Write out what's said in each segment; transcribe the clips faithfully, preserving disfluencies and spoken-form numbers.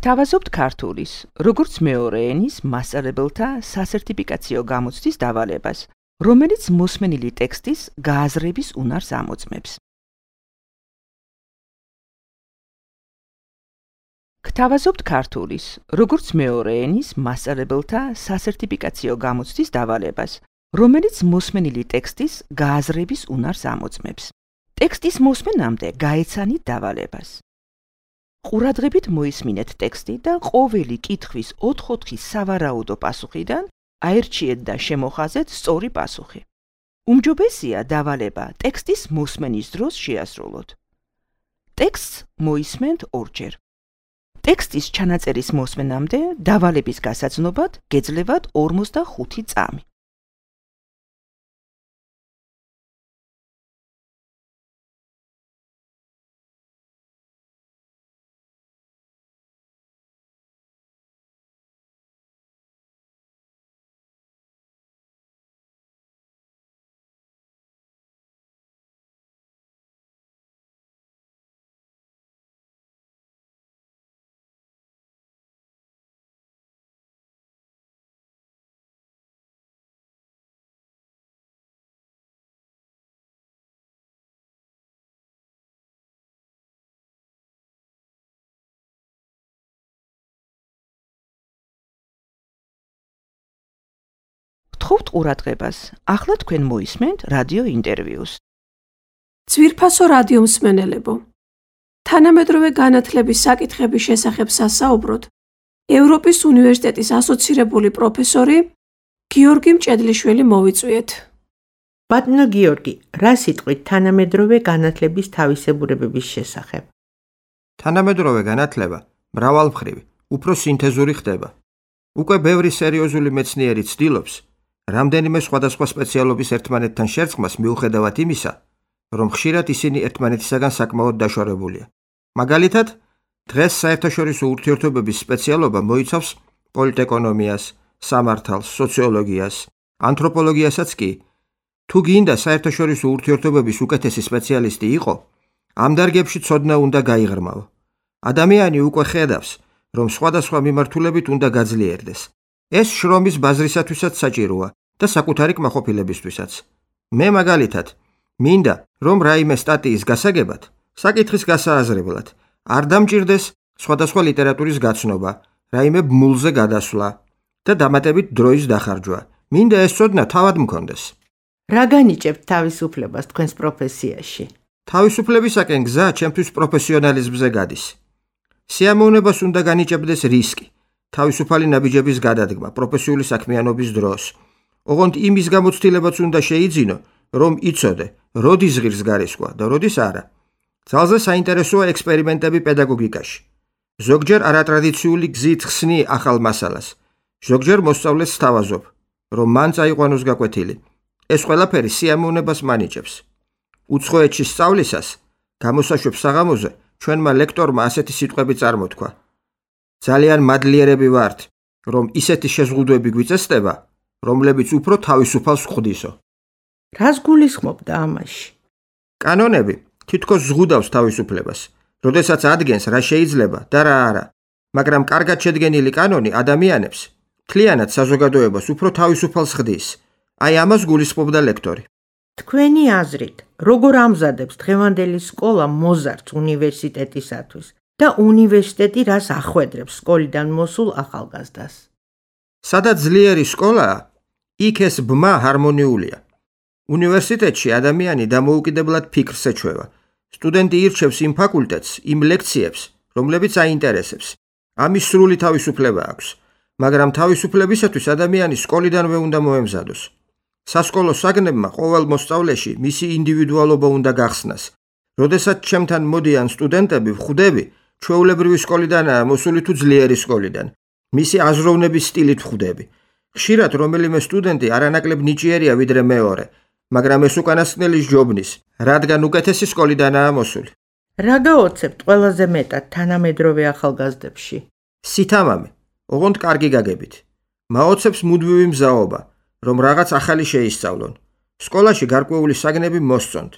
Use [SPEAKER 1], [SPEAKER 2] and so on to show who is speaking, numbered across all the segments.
[SPEAKER 1] გთავაზობთ ქართულის, როგორც მეორე ენის მასწავლებელთა სასერტიფიკაციო გამოცდის დავალებას, რომელიც მოსმენილი ტექსტის გააზრების უნარს ამოწმებს. გთავაზობთ ქართულის, როგორც მეორე ენის მასწავლებელთა სასერტიფიკაციო გამოცდის დავალებას, რომელიც მოსმენილი ტექსტის გააზრების უნარს ამოწმებს. ტექსტის მოსმენამდე გაეცანით დავალებას. ყურადღებით მოისმინეთ ტექსტი და ყოველი კითხვის ოთხ-ოთხი სავარაუდო პასუხიდან აერჩიეთ და შემოხაზეთ სწორი პასუხი. უმჯობესია დავალება ტექსტის მოსმენის დროს შეასრულოთ. ტექსტს მოისმენთ ორჯერ. ტექსტის ჩანაწერის მოსმენამდე დავალების გასაცნობად გეძლევათ ორმოცდახუთი წამი. გთხოვთ ყურადღებას. ახლა თქვენ მოისმენთ რადიო ინტერვიუს.
[SPEAKER 2] ძვირფასო რადიო მსმენელებო, თანამედროვე განათლების საკითხების შესახებ სასაუბროდ ევროპის უნივერსიტეტის ასოცირებული პროფესორი გიორგი მჭედლიშვილი მოვიწვიეთ.
[SPEAKER 3] ბატონო გიორგი, რა სიტყვით თანამედროვე განათლების თავისებურებების შესახებ?
[SPEAKER 4] თანამედროვე განათლება მრავალმხრივი, უფრო სინთეზური ხდება. უკვე ბევრი სერიოზული მეცნიერი ცდილობს რამდენიმე სხვადასხვა სპეციალობის ერთმანეთთან შერწყმას მიუხედავად იმისა, რომ ხშირად ისინი ერთმანეთისაგან საკმაოდ დაშორებულია. მაგალითად, დღეს საერთაშორისო ურთიერთობების სპეციალობა მოიცავს პოლიტეკონომიას, სამართალს, სოციოლოგიას, ანთროპოლოგიასაც კი. თუ გინდა საერთაშორისო ურთიერთობების უკეთესი სპეციალისტი იყო, ამ დარგებში ცოდნა უნდა გაიღრმაო. ადამიანი უკვე ხედავს, რომ სხვადასხვა მიმართულებით უნდა გაძლიერდეს. ეს შრომის ბაზრისათვისაც საჭიროა და საკუთარი კმაყოფილებისთვისაც. მე მაგალითად, მინდა, რომ რაიმე სტატიის გასაგებად, საკითხის გასააზრებლად, არ დამჭირდეს სხვადასხვა ლიტერატურის გაცნობა, რაიმე ბმულზე გადასვლა და დამატებით დროის დახარჯვა. მინდა ეს ცოდნა თავად მქონდეს.
[SPEAKER 3] რა განიჭებთ თავისუფლებას თქვენს პროფესიაში?
[SPEAKER 4] თავისუფლებისაკენ გზა ჩემთვის პროფესიონალიზმზე გადის. სიამოვნებას უნდა განიჭებდეს რისკი, თავისუფალი ნაბიჯების გადადგმა პროფესიული საქმიანობის დროს. ოღონდ იმის გამოცდილებაც უნდა შეიძინო, რომ იცოდე, როდის ღირს გარისკვა და როდის არა. ძალზე საინტერესოა ექსპერიმენტები პედაგოგიკაში. ზოგჯერ არატრადიციული გზით ხსნი ახალ მასალას, ზოგჯერ მოსწავლეს სთავაზობ, რომ მან წაიყვანოს გაკვეთილი. ეს ყველაფერი სიამოვნებას მანიჭებს. უცხოეთში სწავლისას, გამოსაშვებ საღამოზე ჩვენმა ლექტორმა ასეთი სიტყვები წარმოთქვა. ძალიან მადლიერები ვართ, რომ ისეთი შეზღუდვები გვიწესდება, რომლებიც უფრო თავისუფალს ხვდისო.
[SPEAKER 3] რას გულისხმობდა ამაში?
[SPEAKER 4] კანონები თითქოს ზღუდავს თავისუფლებას, როდესაც ადგენს რა შეიძლება და რა არა, მაგრამ კარგად შედგენილი კანონი ადამიანებს მთლიანად საზოგადოებას უფრო თავისუფალს ხდის. აი ამას გულისხმობდა ლექტორი.
[SPEAKER 3] თქვენი აზრით, როგორ ამზადებს დღევანდელი სკოლა მოზარდს უნივერსიტეტისათვის და უნივერსიტეტი რას ახვედრებს სკოლიდან მოსულ ახალგაზრდას?
[SPEAKER 4] სადაც ძლიერი სკოლაა, იქ ეს ბმა ჰარმონიულია. უნივერსიტეტში ადამიანი დამოუკიდებლად ფიქრს ეჩვევა. სტუდენტი ირჩევს იმ ფაკულტეტს, იმ ლექციებს, რომლებიც აინტერესებს. ამის სრული თავისუფლება აქვს, მაგრამ თავისუფლებისათვის ადამიანი სკოლიდანვე უნდა მოემზადოს. სასკოლო საგნებმა ყოველ მოსწავლეში მისი ინდივიდუალობა უნდა გახსნას. როდესაც ჩემთან მოდიან სტუდენტები, ვხვდები, ჩვეულებრივი სკოლიდანაა მოსული თუ ძლიერი სკოლიდან. მისი აზროვნების სტილით ვხვდები. ხშირად რომელიმე სტუდენტი არანაკლებ ნიჭიერია ვიდრე მეორე, მაგრამ ეს უკანასკნელი სჯობნის, რადგან უკეთესი სკოლიდანაა მოსული.
[SPEAKER 3] რა გაოცებთ ყველაზე მეტად თანამედროვე ახალგაზრდებში?
[SPEAKER 4] სითამამი, ოღონდ კარგი გაგებით. მაოცებს მუდმივი მზაობა, რომ რაღაც ახალი შეისწავლონ. სკოლაში გარკვეული საგნები მოსწონთ.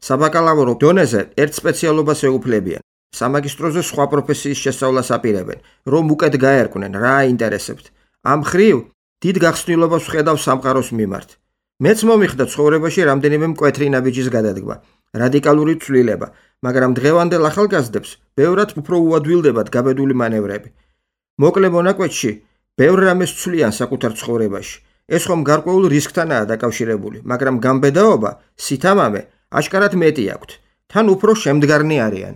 [SPEAKER 4] საბაკალავრო დონეზე ერთ სპეციალობას ეუფლებიან. სამაგისტროზე სხვა პროფესიის შესწავლას აპირებენ, რომ უკეთ გაერკვნენ რა აინტერესებთ. ამ ხრივ დიდ გახსნილობას ვხედავ სამყაროს მიმართ. მეც მომიხდა ცხოვრებაში რამდენიმე მკვეთრი ნაბიჯის გადადგმა, რადიკალური ცვლილება, მაგრამ დღევანდელ ახალგაზრდებს ბევრად უფრო უადვილდებათ გაბედული მანევრები. მოკლე მონაკვეთში ბევრ რამეს ცვლიან საკუთარ ცხოვრებაში. ეს ხომ გარკვეულ რისკთანაა დაკავშირებული, მაგრამ გამბედაობა, სითამამე აშკარად მეტი აქვთ. თან უფრო შემდგარნი არიან.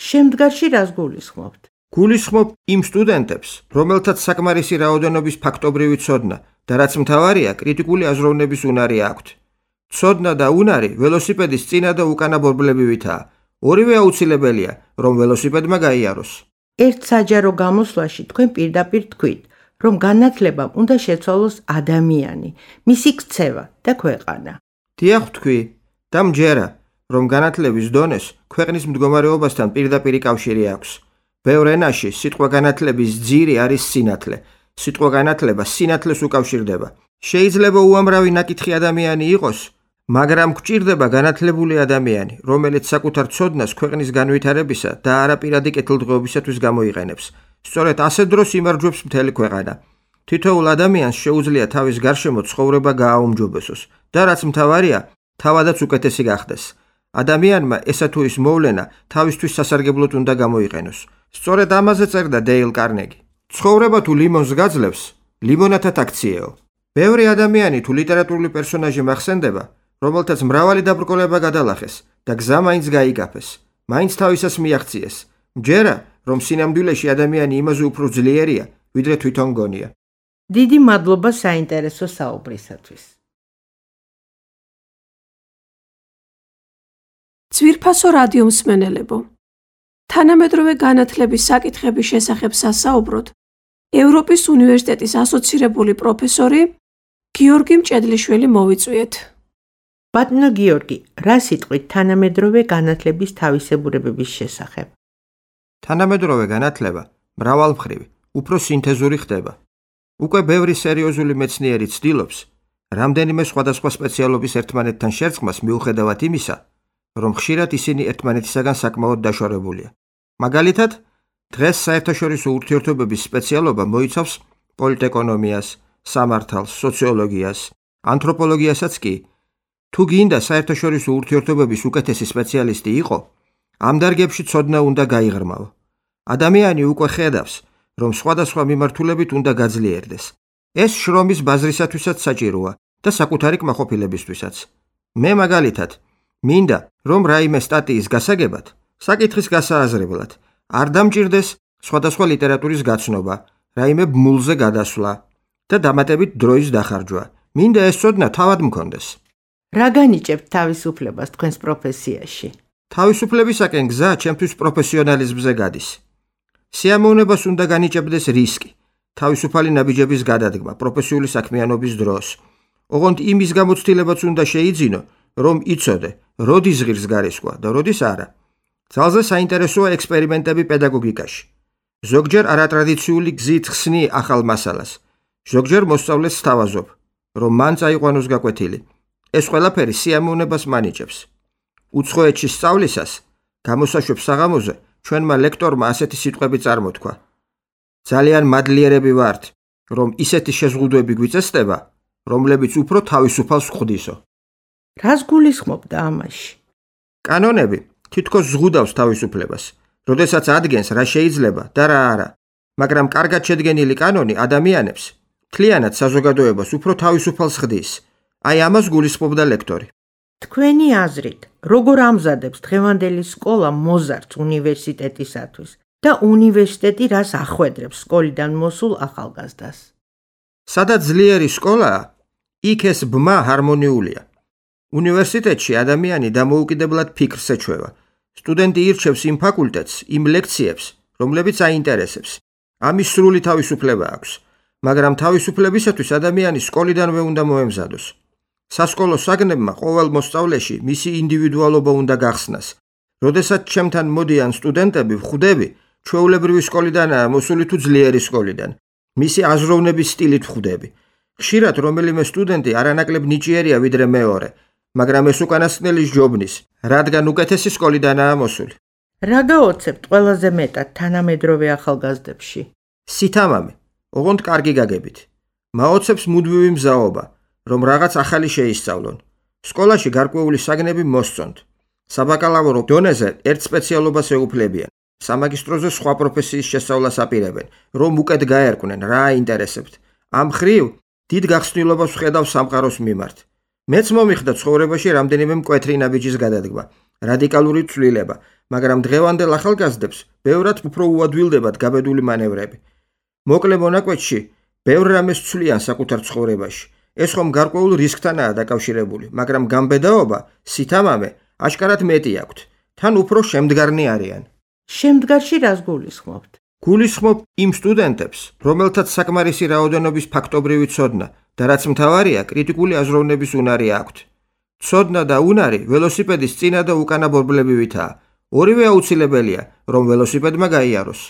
[SPEAKER 3] შემდგარში რას გულისხმობთ?
[SPEAKER 4] გულისხმობ იმ სტუდენტებს, რომელთაც საკმარისი რაოდენობის ფაქტობრივი ცოდნა და რაც მთავარია, კრიტიკული აზროვნების უნარი აქვთ. ცოდნა და უნარი ველოსიპედის წინა და უკანა ბორბლებივითაა. ორივე აუცილებელია, რომ ველოსიპედმა გაიაროს.
[SPEAKER 3] ერთ საჯარო გამოსვლაში თქვენ პირდაპირ თქვით, რომ განათლებამ უნდა შეცვალოს ადამიანი, მისი ქცევა და ქვეყანა.
[SPEAKER 4] დიახ თქვი და მჯერა, რომ განათლების დონეს ქვეყნის მდგომარეობასთან პირდაპირი კავშირი აქვს. ბევრ ენაში სიტყვა განათლების ძირი არის სინათლე. სიტყვა განათლება სინათლეს უკავშირდება. შეიძლება უამრავი ნაკითხი ადამიანი იყოს, მაგრამ გვჭირდება განათლებული ადამიანი, რომელიც საკუთარ ცოდნას ქვეყნის განვითარებისა და არაპირადი კეთილდღეობისათვის გამოიყენებს. სწორედ ასე დროს იმარჯვებს მთელი ქვეყანა. თითოეულ ადამიანს შეუძლია თავის გარშემო ცხოვრება გააუმჯობესოს და რაც მთავარია, თავადაც უკეთესი გახდეს. ადამიანმა ესა თუ ის მოვლენა თავისთვის სასარგებლოდ უნდა გამოიყენოს. სწორედ ამაზე წერდა დეილ კარნეგი. ცხოვრება თუ ლიმონს გაძლევს, ლიმონათად აქციეო. ბევრი ადამიანი თუ ლიტერატურული პერსონაჟი მახსენდება, რომელთაც მრავალი დაბრკოლება გადალახეს და გზა მაინც გაიკაფეს, მაინც თავისას მიაღწიეს. მჯერა, რომ სინამდვილეში ადამიანი იმაზე უფრო ძლიერია, ვიდრე თვითონ გონია.
[SPEAKER 3] დიდი მადლობა საინტერესო საუბრისათვის.
[SPEAKER 2] ძვირფასო რადიო მსმენელებო, თანამედროვე განათლების საკითხების შესახებ სასაუბროდ ევროპის უნივერსიტეტის ასოცირებული პროფესორი გიორგი მჭედლიშვილი მოვიწვიეთ.
[SPEAKER 3] ბატონო გიორგი, რა სიტყვით თანამედროვე განათლების თავისებურებების შესახებ?
[SPEAKER 4] თანამედროვე განათლება მრავალმხრივი, უფრო სინთეზური ხდება. უკვე ბევრი სერიოზული მეცნიერი ცდილობს რამდენიმე სხვადასხვა სპეციალობის ერთმანეთთან შერწყმას მიუხედავად იმისა, რომ ხშირად ისინი ერთმანეთისაგან საკმაოდ დაშორებულია. მაგალითად, დღეს საერთაშორისო ურთიერთობების სპეციალობა მოიცავს პოლიტეკონომიას, სამართალს, სოციოლოგიას, ანთროპოლოგიასაც კი. თუ გინდა საერთაშორისო ურთიერთობების უკეთესი სპეციალისტი იყო, ამ დარგებში ცოდნა უნდა გაიღრმაო. ადამიანი უკვე ხედავს, რომ სხვადასხვა მიმართულებით უნდა გაძლიერდეს. ეს შრომის ბაზრისათვისაც საჭიროა და საკუთარი კმაყოფილებისთვისაც. მე მაგალითად, მინდა, რომ რაიმე სტატიის გასაგებად, საკითხის გასააზრებლად, არ დამჭირდეს სხვადასხვა ლიტერატურის გაცნობა, რაიმე ბმულზე გადასვლა და დამატებით დროის დახარჯვა. მინდა ეს ცოდნა თავად მქონდეს.
[SPEAKER 3] რა განიჭებთ თავისუფლებას თქვენს პროფესიაში?
[SPEAKER 4] თავისუფლებისაკენ გზა ჩემთვის პროფესიონალიზმზე გადის. სიამოვნებას უნდა განიჭებდეს რისკი, თავისუფალი ნაბიჯების გადადგმა პროფესიული საქმიანობის დროს. ოღონდ იმის გამოცდილებაც უნდა შეიძინო, რომ იცოდე, როდის ღირს გარისკვა და როდის არა. ძალზე საინტერესოა ექსპერიმენტები პედაგოგიკაში. ზოგჯერ არატრადიციული გზით ხსნი ახალ მასალას, ზოგჯერ მოსწავლეს სთავაზობ, რომ მან წაიყვანოს გაკვეთილი. ეს ყველაფერი სიამოვნებას მანიჭებს. უცხოეთში სწავლისას, გამოსაშვებ საღამოზე, ჩვენმა ლექტორმა ასეთი სიტყვები წარმოთქვა. ძალიან მადლიერები ვართ, რომ ისეთი შეზღუდვები გვიწესდება, რომლებიც უფრო თავისუფალს ხვდისო.
[SPEAKER 3] რას გულისხმობდა ამაში?
[SPEAKER 4] კანონები თითქოს ზღუდავს თავისუფლებას, როდესაც ადგენს რა შეიძლება და რა არა, მაგრამ კარგად შედგენილი კანონი ადამიანებს, მთლიანად საზოგადოებას უფრო თავისუფალს ხდის. აი ამას გულისხმობდა ლექტორი.
[SPEAKER 3] თქვენი აზრით, როგორ ამზადებს დღევანდელი სკოლა მოზარდს უნივერსიტეტისათვის და უნივერსიტეტი რას ახვედრებს სკოლიდან მოსულ ახალგაზრდას?
[SPEAKER 4] სადაც ძლიერი სკოლაა, იქ ეს ბმა ჰარმონიულია. უნივერსიტეტში ადამიანი დამოუკიდებლად ფიქრს ეჩვევა. სტუდენტი ირჩევს იმ ფაკულტეტს, იმ ლექციებს, რომლებიც აინტერესებს. ამის სრული თავისუფლება აქვს, მაგრამ თავისუფლებისათვის ადამიანი სკოლიდანვე უნდა მოემზადოს. სასკოლო საგნებმა ყოველ მოსწავლეში მისი ინდივიდუალობა უნდა გახსნას. როდესაც ჩემთან მოდიან სტუდენტები, ვხვდები, ჩვეულებრივი სკოლიდანაა მოსული თუ ძლიერი სკოლიდან. მისი აზროვნების სტილით ვხვდები. ხშირად რომელიმე სტუდენტი არანაკლებ ნიჭიერია ვიდრე მეორე, მაგრამ ეს უკანასკნელი სჯობნის, რადგან უკეთესი სკოლიდანაა მოსული.
[SPEAKER 3] რა გაოცებთ ყველაზე მეტად თანამედროვე ახალგაზრდებში?
[SPEAKER 4] სითამამე, ოღონდ კარგი გაგებით. მაოცებს მუდმივი მზაობა, რომ რაღაც ახალი შეისწავლონ. სკოლაში გარკვეული საგნები მოსწონთ. საბაკალავრო დონეზე ერთ სპეციალობას ეუფლებიან. სამაგისტროზე სხვა პროფესიის შესწავლას აპირებენ, რომ უკეთ გაერკვნენ რა აინტერესებთ. ამ ხრივ დიდ გახსნილობას ვხედავ სამყაროს მიმართ. მეც მომიხდა ცხოვრებაში რამდენიმე მკვეთრი ნაბიჯის გადადგმა, რადიკალური ცვლილება, მაგრამ დღევანდელ ახალგაზრდებს ბევრად უფრო უადვილდებათ გაბედული მანევრები. მოკლე მონაკვეთში ბევრ რამეს ცვლიან საკუთარ ცხოვრებაში. ეს ხომ გარკვეულ რისკთანაა დაკავშირებული, მაგრამ გამბედაობა, სითამამე აშკარად მეტი აქვთ. თან უფრო შემდგარნი არიან.
[SPEAKER 3] შემდგარში რას გულისხმობთ?
[SPEAKER 4] გულისხმობ იმ სტუდენტებს, რომელთაც საკმარისი რაოდენობის ფაქტობრივი ცოდნა და რაც მთავარია, კრიტიკული აზროვნების უნარი აქვთ. ცოდნა და უნარი ველოსიპედის წინა და უკანა ბორბლებივითაა. ორივე აუცილებელია, რომ ველოსიპედმა გაიაროს.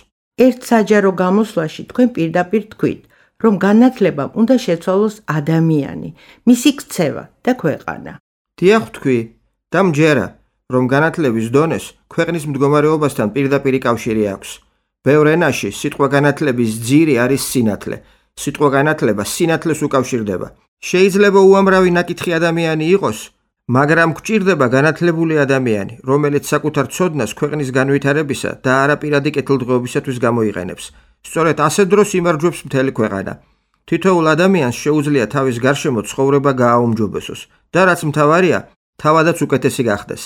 [SPEAKER 3] ერთ საჯარო გამოსვლაში თქვენ პირდაპირ თქვით, რომ განათლებამ უნდა შეცვალოს ადამიანი, მისი ქცევა და ქვეყანა.
[SPEAKER 4] დიახ თქვი და მჯერა, რომ განათლების დონეს ქვეყნის მდგომარეობასთან პირდაპირი კავშირი აქვს. ბევრ ენაში სიტყვა განათლების ძირი არის სინათლე. სიტყვა განათლება სინათლეს უკავშირდება. შეიძლება უამრავი ნაკითხი ადამიანი იყოს, მაგრამ გვჭირდება განათლებული ადამიანი, რომელიც საკუთარ ცოდნას ქვეყნის განვითარებისა და არაპირადი კეთილდღეობისათვის გამოიყენებს. სწორედ ასეთ დროს იმარჯვებს მთელი ქვეყანა. თითოეულ ადამიანს შეუძლია თავის გარშემო ცხოვრება გააუმჯობესოს და რაც მთავარია, თავადაც უკეთესი გახდეს.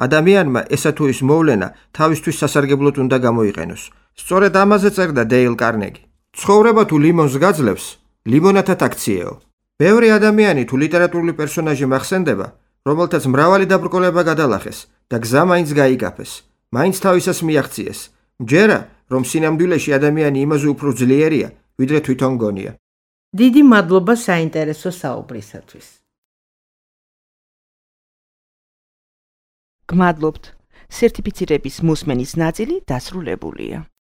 [SPEAKER 4] ადამიანმა ესა თუ ის მოვლენა თავისთვის სასარგებლოდ უნდა გამოიყენოს. სწორედ ამაზე წერდა დეილ კარნეგი. ცხოვრება თუ ლიმონს გაძლევს, ლიმონათად აქციეო. ბევრი ადამიანი თუ ლიტერატურული პერსონაჟი მახსენდება, რომელთაც მრავალი დაბრკოლება გადალახეს და გზა მაინც გაიკაფეს, მაინც თავისას მიაღწიეს. მჯერა, რომ სინამდვილეში ადამიანი იმაზე უფრო ძლიერია, ვიდრე თვითონ გონია.
[SPEAKER 3] დიდი მადლობა საინტერესო საუბრისათვის.
[SPEAKER 1] გმადლობთ. სერტიფიცირების მოსმენის ნაწილი დასრულებულია.